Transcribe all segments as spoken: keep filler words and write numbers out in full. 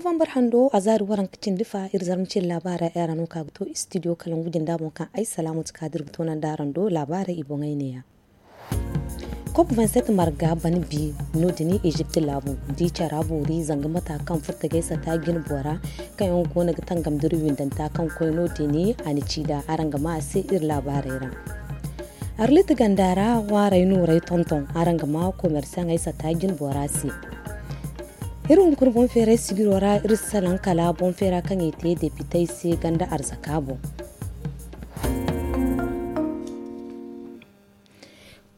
Novambar hando a zaari waranka cindi fa iri zarma cine laabaarey ay ra no ka ga to istidiyo kalangu jinda boŋ kaŋ ay salaamatu kaadir ga toonandi araŋ do laabaarey i boŋey neeya. Kop vingt-sept marga ban bi no- din ezipt laabu di cara boori zanga mata kaŋ furtagay sata jine bora kaŋ yaŋ go no ga tangam dira windanta kaŋ koy no- din a na ci da araŋ ga ma a se iri laabaarey ra. Arlit ganda ra ŋwaaray nooray tonton araŋ ga ma komersaŋey sata jine bora se. Iri hunkuna boŋ feeray sigiro ra iri si salaŋ kala boŋ feera kaŋ i te depitey se ganda arzaka boŋ.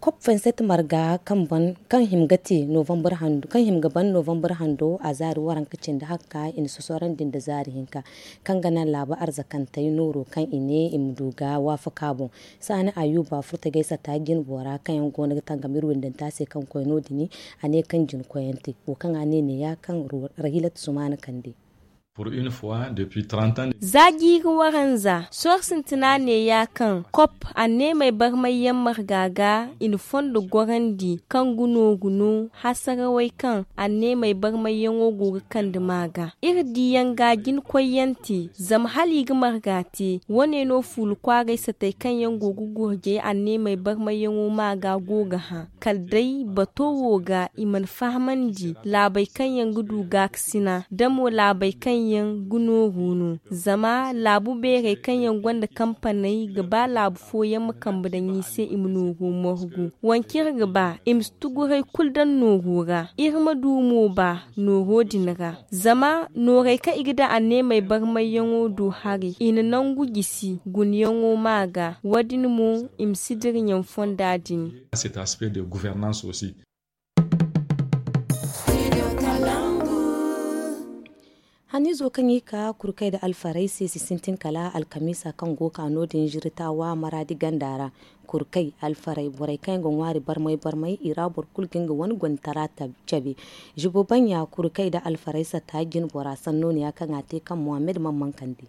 Kop vingt-sept marga kaŋ him ga te novambar hando a zaari waranka cindi hakka i na sosorandi nda zaari hinka kaŋ ga naŋ laabu arzakantey nooro kaŋ i ne i ma du ga waafaka boŋ. Saani ayuba furtagay sata jine bora kaŋ yaŋ go no ga tangam iri windanta se kaŋ koy no- din a ne kaŋ jina koyante wo kaŋ a ne neeya kaŋ rahilat sumaana kande. Za jiiri waranza sohõ sintina neeya kaŋ kop anneemey barmayyaŋ marga ga i na fondo gorandi kaŋ ga nooru no hasarawey kaŋ anneemey barmayyaŋo go ga kande ma ga iri diyaŋ ga jina koyyaŋ te zama hala i ga marga te wane no fuula kwaaray satey kaŋ yaŋ go ga gurjay anneemey barmayyaŋo ma ga go ga hã kala day bato wo ga i mana fahamandi laabey kaŋ yaŋ ga du gaakasina da mo laabey kaŋ yaŋ ga nooru no. Zama laabu beerey kaŋ yaŋ gonda kampaney ga ba laabu fooyaŋ ma kambe daŋ i se i ma nooru margu. Wanci iri ga ba i ma si tuguray kulu daŋ nooru ra iri ma du mo ba nooro din ra. Zama noorey kaŋ i ga daŋ anneemey barmayyaŋo do haray i na nangu jisi gunayaŋo ma ga wo- din mo i ma si dira ɲaŋ fonda din. Haniizo kaŋ i ka kurkay nda alfarey se si sintin kala alkamiisa kaŋ go ka no- din ziritawa maraadi ganda ra. Kurkay alfarey borey kaŋ yaŋ ga ŋwaari barmay barmay i ra boro kulu ga nga wane gonda tara cabe. Zibo bannya kurkay nda alfarey satta jine bora sanno no ya kaŋ a te kaŋ mohammed man mankandi.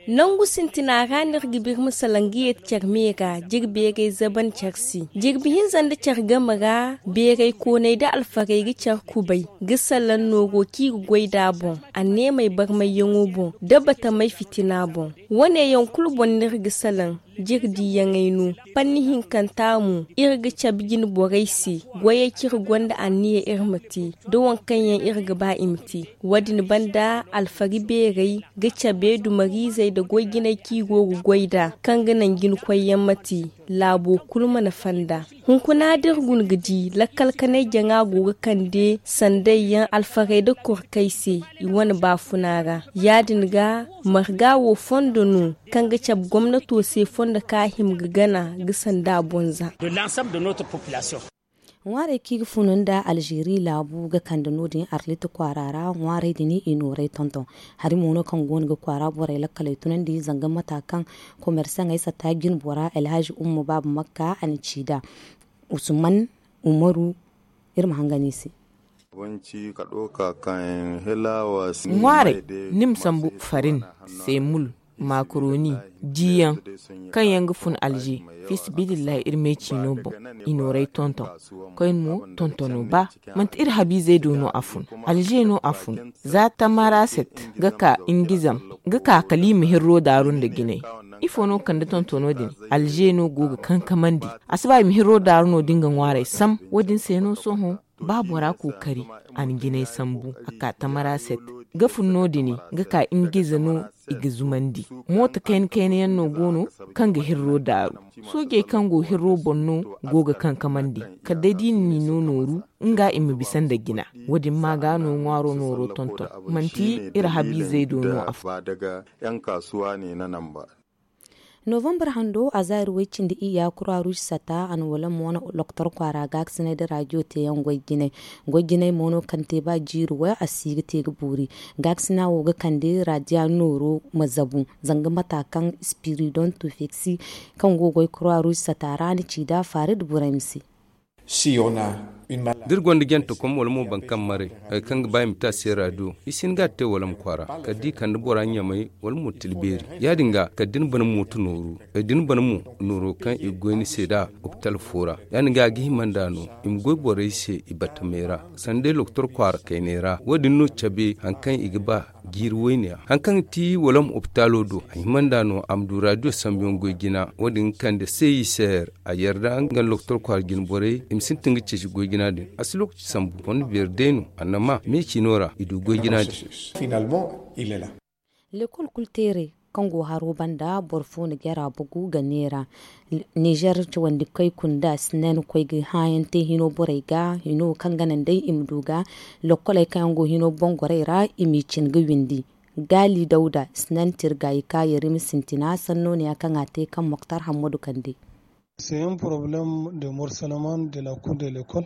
Nangu sintina ra no iri ga birma salaŋ ga yeeti care me ra jirbeerey zaban care se. Jirbi hinza nda care game ra beerey kooney nda alfarey ga care kubay ga salaŋ nooro kaŋ i ga goy nd'a boŋ, anneemey barmayyaŋo boŋ, nda batamey fitina boŋ. Wane yaŋ kulu boŋ no iri ga salaŋ. Jirdiyaŋey no. Panni hinkanta mo iri ga cabe jine borey se. Goyey kaŋ iri gonda anniya iri ma te nda waŋ kaŋ yaŋ iri ga ba i ma te. Wo- din banda alfari beerey ga cabe dumariizey nda goy-jiney kaŋ i go ga goy nd'a kaŋ ga naŋ jinakoyyaŋ ma te. Laabo kulu mana fanda. Hunkuna da iri guna ga di lakkal kanay jaŋa go ga kande sandey yaŋ alfarey nda korkey se i wane baafuna ra. Ya- din ga marga wo fondo no kaŋ ga cabe gomnato se fondo kaŋ a hima ga gana ga sanda bonza. Ŋwaarey kaŋ i ga funu nda alzeeri laabu ga kande no- din arlit kwaara ra ŋwaarey din i nooray tonton. Hari mo no kaŋ go no ga kwaara borey lakkaley tunandi zanga mata kaŋ komersaŋey satta jine bora alhazi umma baaba makka a na ci nd'a. Usman umaru. Iri ma hangan i se. Ŋwaarey ni ma sambu farin, seemul, makaroni, diiyaŋ kaŋ yaŋ ga fun alze. Fi sabilillahi iri me ciino boŋ i nooray tonton. Koyne mo tontono ba manti iri habiizey do no a fun. Alze no a fun. Za tamaraset ga ka ingizam ga ka kala i ma hirro daaru nda jinay. Ifo no ga kande tontono din? Alze no go ga kankamandi. A si ba i ma hirro daaru no da nga ŋwaarey sam. Wo- din se no sohõ ba bora kookari a na jinay sambu a ka tamaraset ga fun no- din ga ka ingize no. I ga zumandi mooto kayna kayna yaŋ no go no kaŋ ga hirro daaru. Soojey kaŋ go hirro boŋ no go ga kankamandi kala day da i na ni no nooru nga i ma bisa nda jina. Wo- din ma ga no ŋwaaro nooro tonton. Manti iri habiizey do no a fun. Novambar hando a zaari way cindi iyya kura ruusi sata a na wala mo wane lokotor kwaara gaakasinay nda raadiyo teeyaŋ goy jinay. Goy jinay mo no kaŋ te ba jiiri way a si ga te ga boori. Gaakasina wo ga kande raadiya nooro ma zabu zanga mata kaŋ ispiridon tufeksi kaŋ go goy kura ruusi sata ra na ci nd'a farid burayma se. Siyona. Da iri gonda jantakom wala mo boro kaŋ maray, hari kaŋ ga ba i ma te a se raadiyo, i si hin ga a te wala ma kwaara kala da i kande bora ɲamay wala mo tilbeeri. Ya- din ga kala da ni bana mooto nooru, da ni bana mo nooro kaŋ i ga goy ni se nd'a opital fo ra, ya- din ga a ga hima nd'a no i ma goy borey se i battamey ra, sanda day lokotor kwaara kayney ra. Wo- din no cabe hari kaŋ i ga ba jiiri wayne yaŋ. Hari kaŋ ga ti wala ma opitaalo do, a hima nd'a no a ma du raadiyo sambuyaŋ goy jina. Wo- din ga kande se i se a yarda nga lokotor kwaara jine borey i ma sintin ga ceeci goy jina din. A si lookaci sambu fonda beeri day no a na ma me ciino ra i du goy jina din. Lekol kulu teeray kaŋ go haro banda boro fo na jara bugu ga neera. Nizer cawandi kay kunda sinan koy ga hãayaŋ te hino borey ga hino kaŋ ga naŋ day i ma du ga lokkoley kaŋ yaŋ go hino bongorey ra i m'i cin ga windi. Gaali dawda sinan tirga i ka yari ma sintina sanno ne ya kaŋ a te kaŋ moktar hammadu kande.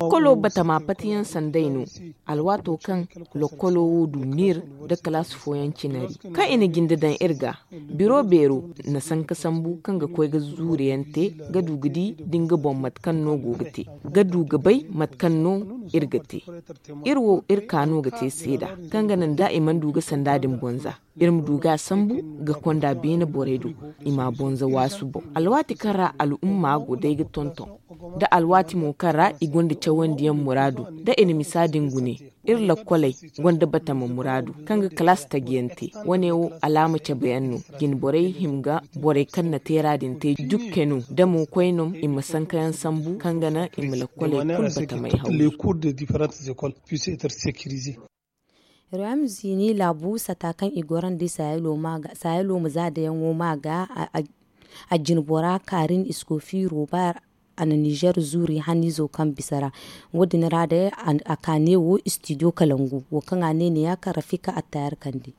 Lokkolo batama patiyaŋ sanday no. Alwaato kaŋ lokkolo wo du niir da kalaasi fooyaŋ cinari kaŋ i na jinde daŋ iri ga biro beero na sanka sambu kaŋ ga koy ga zuuriyaŋ te ga du ga di da nga boŋ mate kaŋ no go ga te ga du ga bay mate kaŋ no iri ga te. Iri wo iri ka no ga te seeda kaŋ ga naŋ da i mana du ga sanda din bonza iri ma du ga a sambu ga konda beene borey do i ma a bonza waasu boŋ. Alwaati kaŋ ra al'umma go day ga tonton da alwaati mo kaŋ ra i gonda cawandiyaŋ muraadu da i na misa din gune. Iri lakkoley gonda batama muraadu kaŋ ga kalaasi tajiyaŋ te. Wane wo alaama cabeyaŋ no jine borey hima ga borey kaŋ na teera din te jukke no da mo koynom i ma sankayaŋ sambu kaŋ ga naŋ i ma lakkoley kulu batamey haw. Royam zini laabu sata kaŋ i gorandi sahelo ma za dayaŋo ma ga a jinbora karin iskofi robar a na nizer zuri hanizo kaŋ bisa ra. Wo- din ra day a ka ne wo studio kalangu wo kaŋ a ne ne ya kaŋ rafika attayar kande.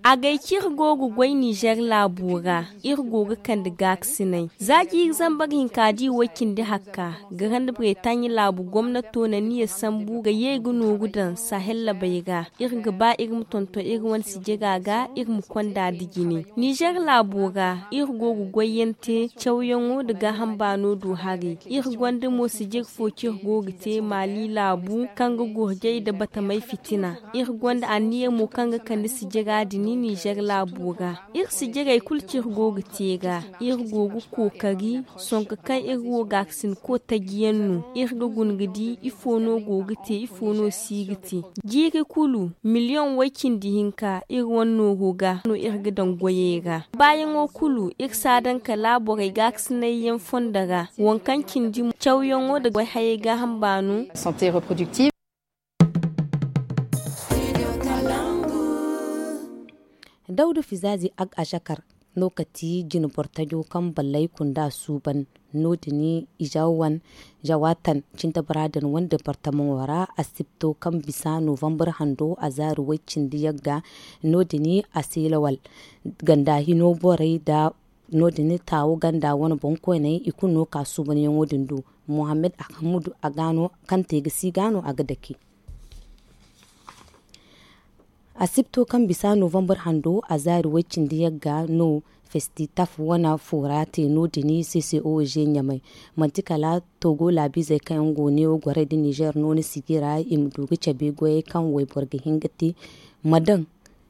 A gay kaŋ iri go ga goy nizer laabo ra iri go ga kande gaakasinay za jiiri zambar hinka da i way cindi hakka. Garandi bretaɲe laabu gomnato na niya sambu ga ye ga nooru daŋ sahel labey ra. Iri ga ba iri ma tonton iri wane sijira ga iri ma konda da jine nizer laabo ra iri go ga goyyaŋ te cawyaŋo nda gaaham baano do haray. Iri gonda mo sijir fo kaŋ iri go ga te maali laabu kaŋ ga gorjay nda batamay fitina. Iri gonda anniya mo kaŋ ga kande sijira din nizer laabo ra. Iri sijirey kulu kaŋ iri go ga te ga iri go ga kookari sonka kaŋ iri wo gaakasinko taji yaŋ no iri ga guna ga di ifo no go ga te ifo no si ga te. Jiiri kulu miliyoŋ way cindi hinka iri wane nooro ga no iri ga daŋ goyey ra. Baayaŋo kulu iri si a daŋ kala borey gaakasinay yaŋ fondo ra waŋ kaŋ cindi cawyaŋo nda goy hayey gaaham baano. Dawda fizaazi ag a zakar no ka ti jine boro tajo kaŋ ballay kunda suuban. No- din izawan zawatan cintabara din wane departamaŋo ra asibto kaŋ bisa novambar hando a zaari way cindi yagga. No- din a se lawal ganda hino borey da no- din taawo ganda wane boŋkoyney i kulu no ka suubanyaŋo din do. Mohammed ahmadu a ga no kaŋ te ga si ga no a ga dake. Asibto kaŋ bisa novambar hando a zaari way cindi yagga no festitaf wane fo ra te no- din ccog ɲamay. Manti kala togo laabiizey kaŋ yaŋ go neewo gorey da nizer no ni sijira i ma du ga cabe goyey kaŋ wayboro ga hin ga te ma daŋ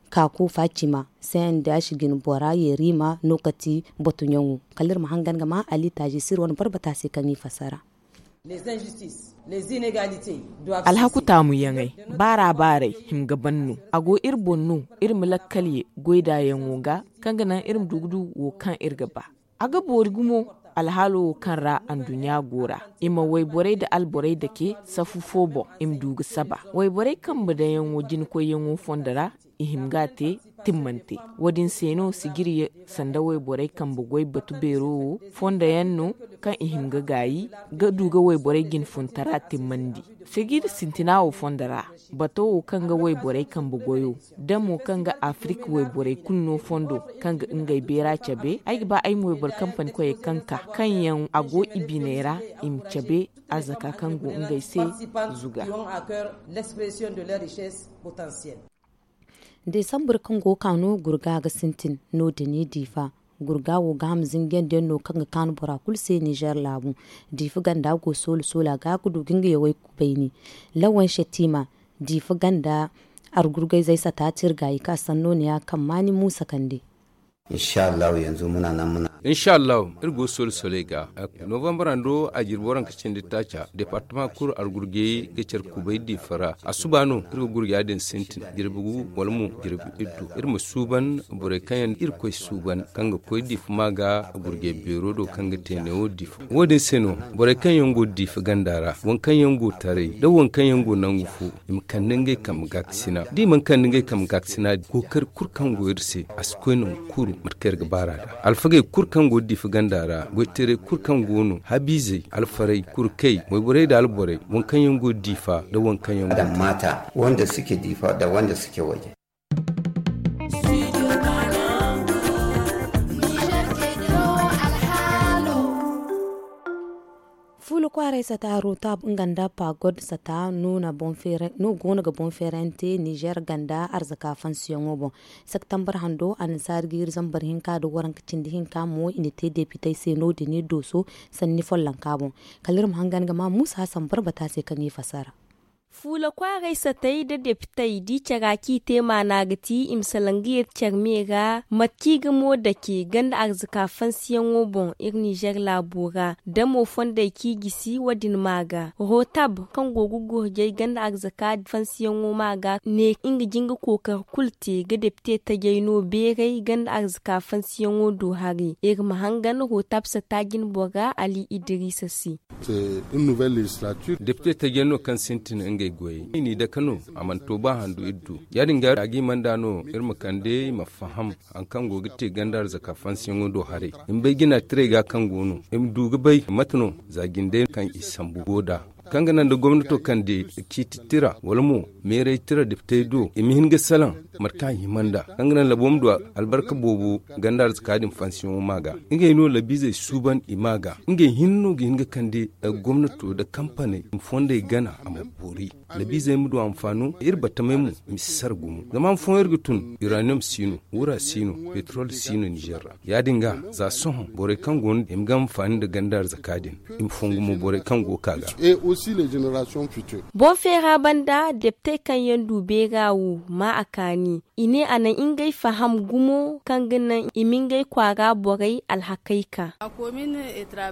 ka ko facima. Cndh jine bora yerima no ka ti batuɲaŋo. Kala iri ma hangan ga ma ali taaji sir wane barbata se kaŋ i fassara. Alhaku taamuyaŋey baara baaray hima ga ban no. A go iri boŋ no iri ma lakkal ye goydaayaŋo ga kaŋ ga naŋ iri ma du ga du wo kaŋ iri ga ba. A ga boori gumo alhaalo wo kaŋ ra anduɲɲa go ra i ma wayborey nda alborey dake safu fo boŋ i ma du ga saba wayborey kambe daŋyaŋo jinakoyyaŋo fondo ra. I hima ga a te timmante. Wo- din se no sijiri sanda wayborey kambe goy batu beero wo fondo yaŋ no kaŋ i hima ga gaayi ga du ga wayborey jine funtara timmandi. Sijiri sintina wo fondo ra bato wo kaŋ ga wayborey kambe goyo da mo kaŋ ga afirika wayborey kulu no fondo kaŋ ga ngey beera cabe ay ga ba ay ma wayboro kampani koyey kaŋ ka kaŋ yaŋ a go i biney ra i ma cabe arzaka kaŋ go ngey se zuga. Desambur kaŋ go ga ka no gurga ga sintin no- din i diifa. Gurga wo ga ham zinjiyandiyaŋ no kaŋ ga kaanu bora kulu se nizer laabu. Diifa ganda go soola soola ga ga du ga nga yawey kubayni. Lawan setiima diifa ganda argurgayzey sata tirga i ka sanno ne ya kaŋ maani muusa kande. Insha allahu yanzu muna nan muna. Insha allahu iri go soola sooley ga. Novambar hando a jirbi waranka cindi taaca departama kulu argurgey ga care kubay diifa ra. Asuba no iri ga gurga ya- din sintin jirbi gu wala mo jirbi iddu iri ma suuban borey kaŋ yaŋ iri koy suuban kaŋ ga koy diifa ma ga gurgey beero do kaŋ ga te neewo diifa. Wo- din se no borey kaŋ yaŋ go diifa ganda ra waŋ kaŋ yaŋ go taray da waŋ kaŋ yaŋ go nangu fo i ma kande ngey kambe gaakasina da i mana kande ngey kambe gaakasina kookari kulu kaŋ go iri se a si koy nangu kulu mate kaŋ iri ga baar'a da alfagey kulu kaŋ go diifa ganda ra goytaray kulu kaŋ go no habiizey alfarey kurkey wayborey nda alborey waŋ kaŋ yaŋ go diifa nda waŋ kaŋ yaŋ go taray. Wanda suke diifa da wanda suke waje. Fuula kwaaray sata rotab nga nda pagod sata no go no ga boŋ feerayaŋ te nizer ganda arzaka fansiyaŋo boŋ. Septambar hando annasaari ga iri zambar hinka nda waranka cindi hinka mo i na te depitey se no- din iri dooso sanni follonka boŋ. Kala iri ma hangan ga ma muusa hasan barbata se kaŋ i fassara. Fuula kwaaray satey nda depitey da i cara kaŋ i te maana ga ti i ma salaŋ ga yee care me ra mate kaŋ i ga mo dake ganda arzaka fansiyaŋo boŋ iri nizer laabo ra da mo fondey kaŋ i gisi wo- din ma ga rotab kaŋ go ga gurjay ganda arzaka fansiyaŋo ma ga ne nga jin ga kookari kulu te ga depite tajay no beeray ganda arzaka fansiyaŋo do haray iri ma hangan rotab sata jinbora ali idiriisa se. Depite tajiyaŋ no kaŋ sintin ngey goyey i n'i dake no a mana to ba handu iri du ya- din ga a ga hima nd'a no iri ma kande i ma faham hari kaŋ go ga te ganda arzaka fansiyaŋo do haray i ma bay jina tiray ga kaŋ go no i ma du ga bay mate no za jindey kaŋ i sambu go nd'a kaŋ ga naŋ da gomnato kande ciiti tira wala mo meeray tira depitey do i ma hin ga salaŋ mate kaŋ a hima nd'a kaŋ ga naŋ labo ma du albarka boobo ganda arzaka din fansiyaŋo ma ga ngey no labiizey suuban i ma ga ngey hinne no ga hin ga kande gomnato nda kampaney i ma fondey gana a ma boori labiizey ma du anfaano iri battamey mo i ma si sara gumo zama han fooyaŋ iri ga tun iraniyom si no wura si no petrol si no nizer ra ya- din ga za sohõ borey kaŋ go no i ma ga anfaani nda ganda arzaka din i ma fongu mo borey kaŋ go ga ka ga. Boŋ feera banda depitey kaŋ yaŋ du beera wo ma a kaani i ne a na ngey faham gumo kaŋ ga naŋ i ma ngey kwaara borey alhakey ka.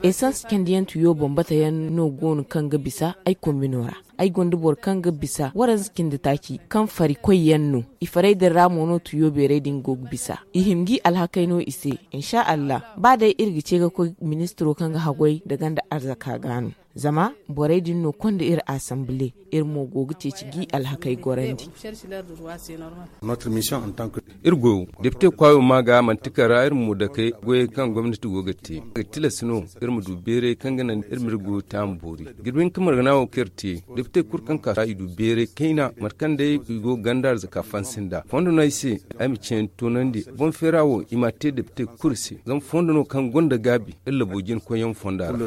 Esans candiyaŋ tuyo boŋ bata yaŋ no go no kaŋ ga bisa ay kombino ra ay gonda boro kaŋ ga bisa waranza cindi taaci kaŋ fari koy yaŋ no i farey din ra mo no tuyo beerey din go ga bisa i hima ga i alhakey no i se. Insa allah ba day iri ga ce ga koy ministiro kaŋ ga haggoy nda ganda arzaka ga no zama borey din no konda iri asambile iri mo go ga ceeci ga i alhakey gorandi. Iri goyo depite kwaayo ma ga manti kara iri ma mo dakey goyey kaŋ gomnati go ga te ga tilas no iri ma du beeray kaŋ ga naŋ iri ma iri goyo te a ma boori jirbi hinka margana wo kaŋ iri te depite kulu kaŋ ka i du beeray kayna mate kaŋ day i go ga ganda arzaka fansi nd'a fondo no ay se ay ma ceeni toonandi boŋ feera wo i m'a te depite kulu se zama fondo no kaŋ gonda gaabi iri labo jina koyyaŋ fonda ra.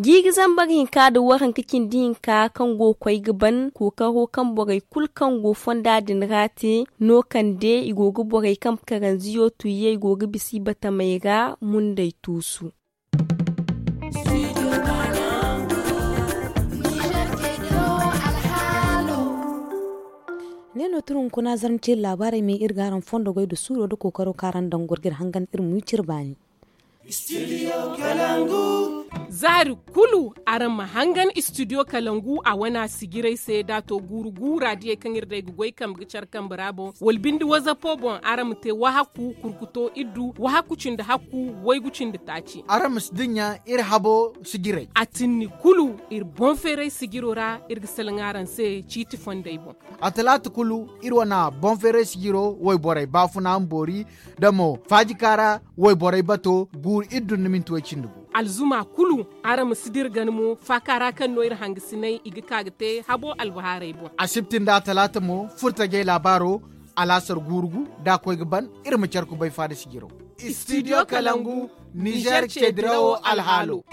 Jiiri zambar hinka nda waranka cindi hinka kaŋ go ga koy ga ban kookaro kaŋ borey kulu kaŋ go fonda din ra te no kande i go ga borey kaŋ karanziyo tuuye i go ga bisa i batamey ra mundey tuusu. Ne no tun hunkuna zarma ceeri laabaarey me iri ga araŋ fondo goy nda suuro nda kookaro kaŋ araŋ daŋ goro ga iri hangan iri ma wi cire baani. Zaari kulu araŋ ma hangan istidiyo kalangu a wane a sijirey se da a to guuru guura diyey kaŋ iri day ga goy kambe ga care kambe ra boŋ wala binde wazapo boŋ araŋ ma te wahakku kurkuto iddu wahakku cindi hakku waygu cindi taaci. Araŋ ma si dinya iri habo sijirey. A tinni kulu iri boŋ feeray sijiro ra iri ga salaŋ araŋ se ciiti fondey boŋ. A talaata kulu iri wane boŋ feeray sijiro wayborey baafuna ma boori da mo faajika ra wayborey bato guuru iri dun nda minti way cindi gu. Alzuma kulu araŋ ma si dira gana mo faaka ra kaŋ no iri hangasiney i ga ka ga te habo albahaarey boŋ. Asibti nda talaata mo furtajey laabaaro alaasar guuru gu da a koy ga ban iri ma care kubay faada sijiro. Istidiyo kalangu nizer ceedirawo alhaalo.